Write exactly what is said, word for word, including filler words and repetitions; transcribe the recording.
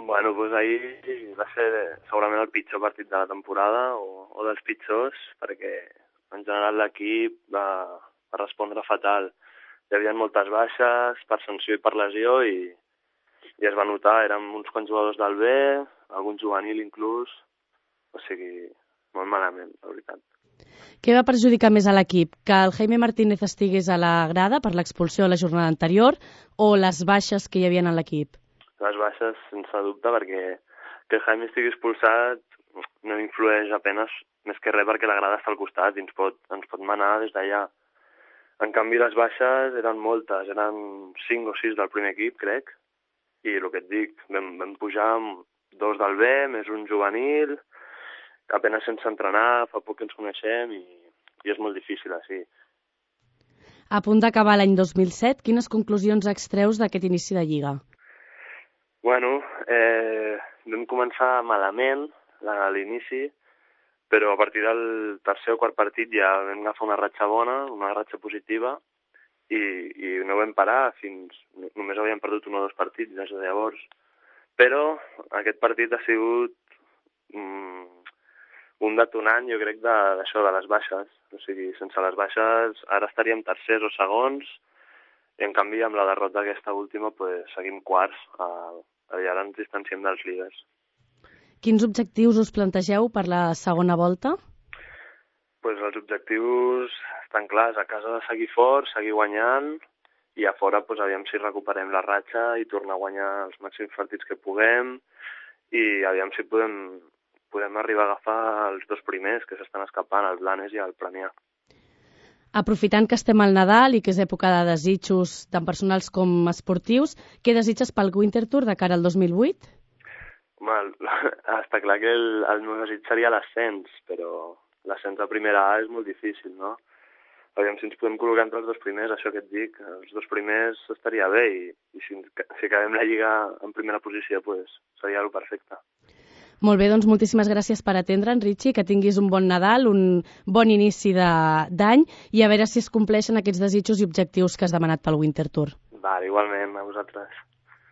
Bueno, doncs ahir va ser segurament el pitjor partit de la temporada, o, o dels pitjors, perquè en general l'equip va, va respondre fatal. Hi havia moltes baixes per sanció i per lesió i, i es va notar, érem uns quants jugadors del B, algun juvenil inclús, o sigui, molt malament, la veritat. Què va perjudicar més a l'equip? Que el Jaime Martínez estigués a la grada per l'expulsió a la jornada anterior o les baixes que hi havia en l'equip? Les baixes, sense dubte, perquè que el Jaime estigui expulsat no influeix apenas més que res perquè la grada està al costat i ens pot, ens pot manar des d'allà. En canvi, les baixes eren moltes, eren cinc o sis del primer equip, crec, i el que et dic, vam, vam pujar amb dos del B, més un juvenil, apenas sense entrenar, fa poc que ens coneixem i, i és molt difícil, així. A punt d'acabar l'any dos mil set, quines conclusions extreus d'aquest inici de Lliga? Bueno, eh, vam començar malament a l'inici, però a partir del tercer o quart partit ja vam agafar una ratxa bona, una ratxa positiva, i, i no vam parar fins... Només havíem perdut un o dos partits des de llavors. Però aquest partit ha sigut mm, un detonant, jo crec, d'això, de, de les baixes. O sigui, sense les baixes ara estaríem tercers o segons, i en canvi amb la derrota aquesta última pues, seguim quarts, i ara ens distanciem dels líders. Quins objectius us plantegeu per la segona volta? Pues els objectius estan clars, a casa de seguir forts, seguir guanyant, i a fora pues, aviam si recuperem la ratxa i tornar a guanyar els màxims partits que puguem, i aviam si podem, podem arribar a agafar els dos primers que s'estan escapant, el Blanes i el Premià. Aprofitant que estem al Nadal i que és època de desitjos tant personals com esportius, què desitges pel Winter Tour de cara al dos mil vuit? Home, està clar que el, el meu desig seria l'ascens, però l'ascens a primera A és molt difícil, no? Aviam si ens podem col·locar entre els dos primers, això que et dic, els dos primers estaria bé, i, i si, si acabem la Lliga en primera posició, pues, seria el perfecte. Molt bé, doncs moltíssimes gràcies per atendre'ns, Richie, que tinguis un bon Nadal, un bon inici d'any i a veure si es compleixen aquests desitjos i objectius que has demanat pel Winter Tour. Vale, igualment, a vosaltres.